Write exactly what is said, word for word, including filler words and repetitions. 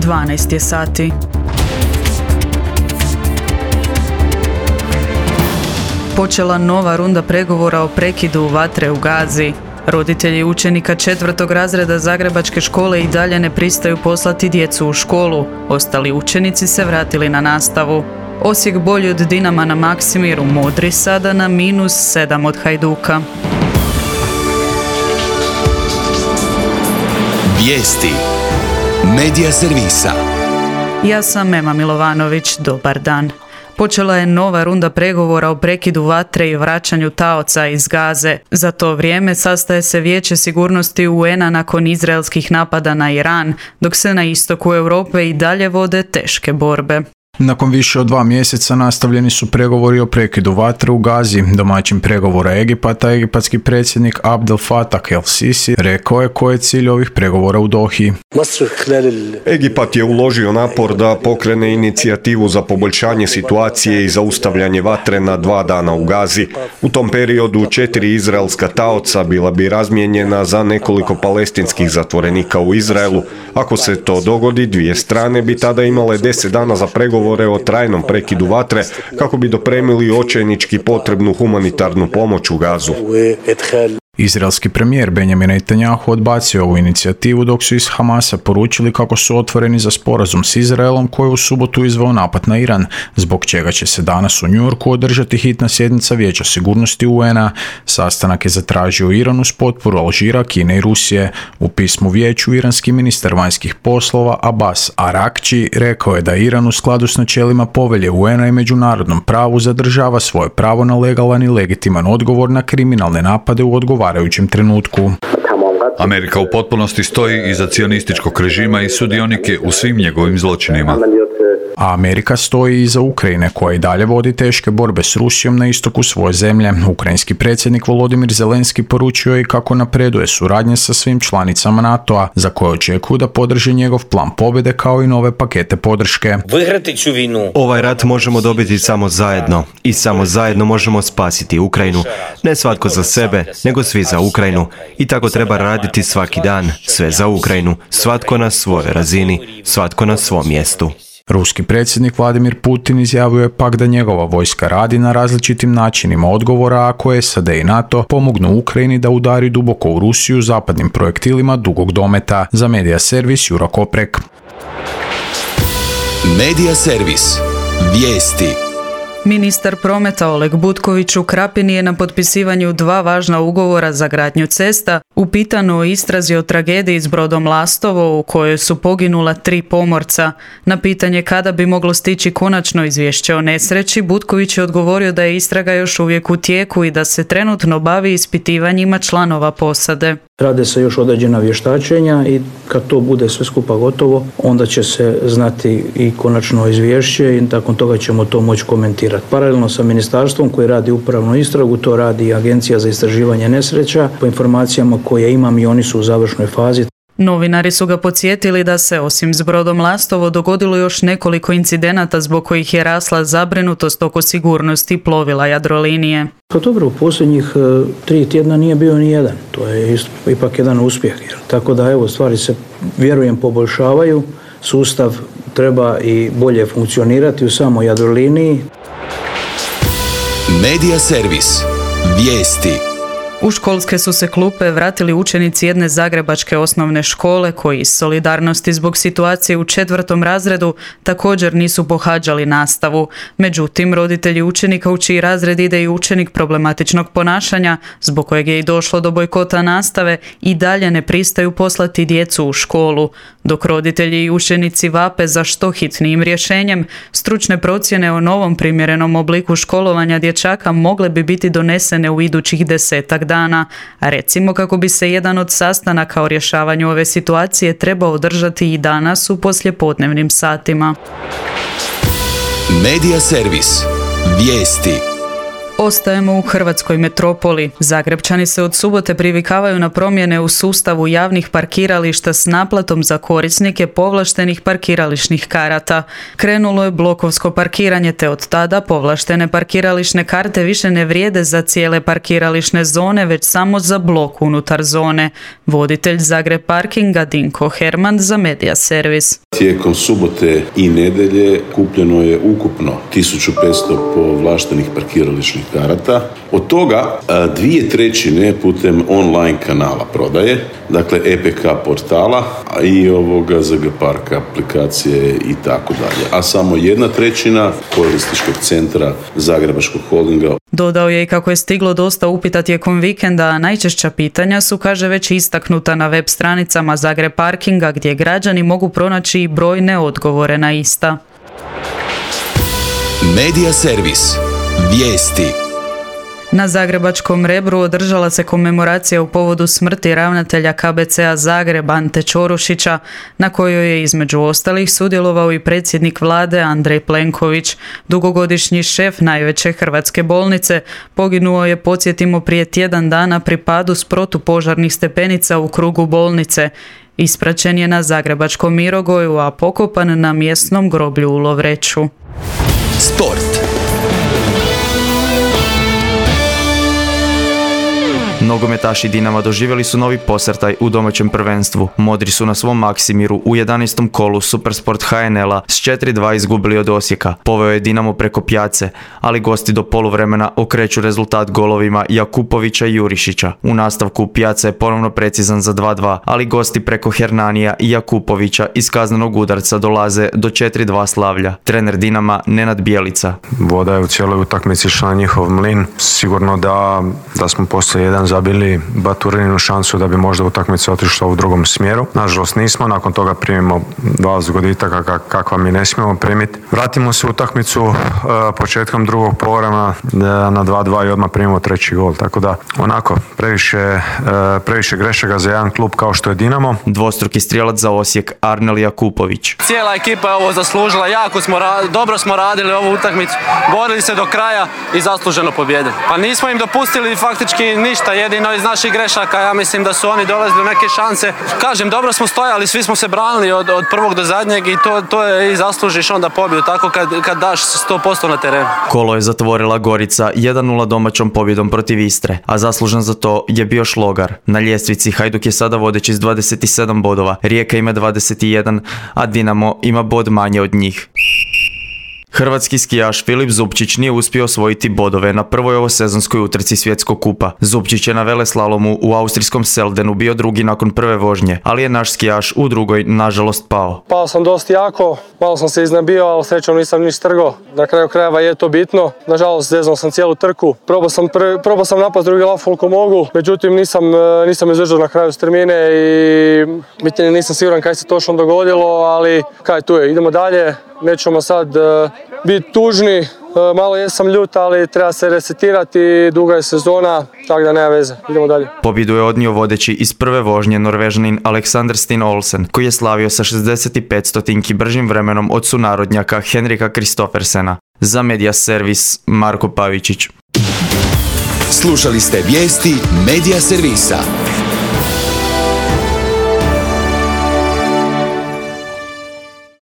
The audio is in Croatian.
dvanaest je sati. Počela nova runda pregovora o prekidu vatre u Gazi. Roditelji učenika četvrtog razreda Zagrebačke škole i dalje ne pristaju poslati djecu u školu. Ostali učenici se vratili na nastavu. Osijek bolji od Dinama na Maksimiru, Modri sada na minus sedam od Hajduka. Vijesti Medija servisa. Ja sam Ema Milovanović, dobar dan. Počela je nova runda pregovora o prekidu vatre i vraćanju taoca iz Gaze. Za to vrijeme sastaje se Vijeće sigurnosti U N-a nakon izraelskih napada na Iran, dok se na istoku Europe i dalje vode teške borbe. Nakon više od dva mjeseca nastavljeni su pregovori o prekidu vatre u Gazi. Domaćin pregovora Egipata, egipatski predsjednik Abdel Fattah el-Sisi, rekao je koji je cilj ovih pregovora u Dohi. Egipat je uložio napor da pokrene inicijativu za poboljšanje situacije i zaustavljanje vatre na dva dana u Gazi. U tom periodu četiri izraelska taoca bila bi razmijenjena za nekoliko palestinskih zatvorenika u Izraelu. Ako se to dogodi, dvije strane bi tada imale deset dana za pregovor o trajnom prekidu vatre kako bi dopremili očajnički potrebnu humanitarnu pomoć u Gazu. Izraelski premijer Benjamin Netanjahu odbacio ovu inicijativu dok su iz Hamasa poručili kako su otvoreni za sporazum s Izraelom koji je u subotu izveo napad na Iran, zbog čega će se danas u New Yorku održati hitna sjednica Vijeća sigurnosti U N-a. Sastanak je zatražio Iran uz potporu Alžira, Kine i Rusije. U pismu vijeću iranski ministar vanjskih poslova Abbas Arakči rekao je da Iran u skladu s načelima povelje U N-a i međunarodnom pravu zadržava svoje pravo na legalan i legitiman odgovor na kriminalne napade u odgovarajućem trenutku. Amerika u potpunosti stoji iza cionističkog režima i sudionike u svim njegovim zločinima. A Amerika stoji iza Ukrajine koja i dalje vodi teške borbe s Rusijom na istoku svoje zemlje. Ukrajinski predsjednik Volodimir Zelenski poručio je kako napreduje suradnja sa svim članicama NATO-a, za koje očekuju da podrži njegov plan pobjede kao i nove pakete podrške. Ovaj rat možemo dobiti samo zajedno i samo zajedno možemo spasiti Ukrajinu. Ne svatko za sebe, nego svi za Ukrajinu. I tako treba raditi svaki dan, sve za Ukrajinu, svatko na svojoj razini, svatko na svom mjestu. Ruski predsjednik Vladimir Putin izjavio je pak da njegova vojska radi na različitim načinima odgovora ako S A D i NATO pomognu Ukrajini da udari duboko u Rusiju zapadnim projektilima dugog dometa. Za Medija servis Juro Koprek. Medija servis. Vijesti. Ministar prometa Oleg Butković u Krapini je na potpisivanju dva važna ugovora za gradnju cesta upitano o istrazi o tragediji s brodom Lastovo u kojoj su poginula tri pomorca. Na pitanje kada bi moglo stići konačno izvješće o nesreći, Butković je odgovorio da je istraga još uvijek u tijeku i da se trenutno bavi ispitivanjima članova posade. Rade se još određena vještačenja i kad to bude sve skupa gotovo, onda će se znati i konačno izvješće i nakon toga ćemo to moći komentirati. Paralelno sa ministarstvom koji radi upravnu istragu, to radi i Agencija za istraživanje nesreća. Po informacijama koje imam i oni su u završnoj fazi. Novinari su ga podsjetili da se osim s brodom Lastovo dogodilo još nekoliko incidenata zbog kojih je rasla zabrinutost oko sigurnosti plovila Jadrolinije. Pa dobro, u posljednjih uh, tri tjedna nije bio ni jedan. To je isto, ipak jedan uspjeh. Tako da evo, stvari se, vjerujem, poboljšavaju. Sustav treba i bolje funkcionirati u samoj Jadroliniji. Medija servis. Vijesti. U školske su se klupe vratili učenici jedne zagrebačke osnovne škole koji iz solidarnosti zbog situacije u četvrtom razredu također nisu pohađali nastavu. Međutim, roditelji učenika u čiji razred ide i učenik problematičnog ponašanja, zbog kojeg je i došlo do bojkota nastave, i dalje ne pristaju poslati djecu u školu. Dok roditelji i učenici vape za što hitnijim rješenjem, stručne procjene o novom primjerenom obliku školovanja dječaka mogle bi biti donesene u idućih desetak dana. A recimo kako bi se jedan od sastanaka o rješavanju ove situacije trebao održati i danas u poslijepodnevnim satima. Medija servis. Vijesti. Ostajemo u hrvatskoj metropoli. Zagrebčani se od subote privikavaju na promjene u sustavu javnih parkirališta s naplatom za korisnike povlaštenih parkirališnih karata. Krenulo je blokovsko parkiranje, te od tada povlaštene parkirališne karte više ne vrijede za cijele parkirališne zone, već samo za blok unutar zone. Voditelj Zagreb Parkinga Dinko Herman za Media Servis. Tijekom subote i nedelje kupljeno je ukupno tisuću petsto povlaštenih parkirališnih karata. Od toga dvije trećine putem online kanala prodaje, dakle E P K portala i ovoga Z G Park aplikacije i tako dalje. A samo jedna trećina korisničkog centra Zagrebačkog holdinga. Dodao je i kako je stiglo dosta upita tijekom vikenda, a najčešća pitanja su, kaže, već istaknuta na web stranicama Zagreb Parkinga, gdje građani mogu pronaći i brojne odgovore na ista. Media Servis. Vijesti. Na zagrebačkom Rebru održala se komemoracija u povodu smrti ravnatelja K B C-a Zagreb Ante Ćorušića, na kojoj je između ostalih sudjelovao i predsjednik vlade Andrej Plenković. Dugogodišnji šef najveće hrvatske bolnice poginuo je, podsjetimo, prije tjedan dana pri padu s protupožarnih stepenica u krugu bolnice. Ispraćen je na zagrebačkom Mirogoju, a pokopan na mjesnom groblju u Lovreću. Sport. Nogometaši Dinama doživjeli su novi posrtaj u domaćem prvenstvu. Modri su na svom maksimiru u jedanaestom kolu Supersport H N L-a s četiri dva izgubili od Osijeka. Poveo je Dinamo preko Pjace, ali gosti do poluvremena okreću rezultat golovima Jakupovića i Jurišića. U nastavku Pjaca je ponovno precizan za dva dva, ali gosti preko Hernanija i Jakupovića iz kaznenog udarca dolaze do četiri dva slavlja. Trener Dinama Nenad Bjelica. Voda je u cijeloj utakmici išla na njihov mlin. Sigurno da, da smo poslije jedan zabili Baturininu šansu da bi možda utakmica otišla u drugom smjeru. Nažalost nismo, nakon toga primimo dva zgoditaka kakva mi ne smijemo primiti. Vratimo se u utakmicu uh, početkom drugog poluvremena na dva dva i odmah primimo treći gol. Tako da onako previše, uh, previše grešaka za jedan klub kao što je Dinamo. Dvostruki strijelac za Osijek Arnel Jakupović. Cijela ekipa je ovo zaslužila, jako smo ra- dobro smo radili ovu utakmicu, borili se do kraja i zasluženo pobjedili. Pa nismo im dopustili faktički ništa, jedino iz naših grešaka, ja mislim da su oni dolazili do neke šanse. Kažem, dobro smo stojali, svi smo se branili od, od prvog do zadnjeg i to, to je i zaslužiš onda pobjedu, tako kad, kad daš sto posto na terenu. Kolo je zatvorila Gorica jedan nula domaćom pobjedom protiv Istre, a zaslužan za to je bio Šlogar. Na ljestvici Hajduk je sada vodeći s dvadeset sedam bodova, Rijeka ima dvadeset jedan, a Dinamo ima bod manje od njih. Hrvatski skijaš Filip Zupčić nije uspio osvojiti bodove na prvoj ovosezonskoj utrci svjetskog kupa. Zupčić je na veleslalomu u austrijskom Seldenu bio drugi nakon prve vožnje, ali je naš skijaš u drugoj nažalost pao. Pao sam dosta jako, malo sam se iznabio, ali srećom nisam niš trgo. Na kraju krajeva je to bitno. Nažalost zeznao sam cijelu trku. Probao sam, prvi, probao sam napast drugi laf koliko mogu, međutim nisam, nisam izdržao na kraju strmine i bitnije nisam siguran kaj se točno dogodilo, ali kaj tu je, idemo dalje. Nećemo sad uh, biti tužni, uh, malo jesam ljut, ali treba se resetirati, duga je sezona, tako da nema veze, idemo dalje. Pobjedu je odnio vodeći iz prve vožnje Norvežanin Alexander Stin Olsen, koji je slavio sa šezdeset pet stotinki bržim vremenom od sunarodnjaka Henrika Kristoffersena. Za Media Servis Marko Pavičić. Slušali ste vijesti Media Servisa.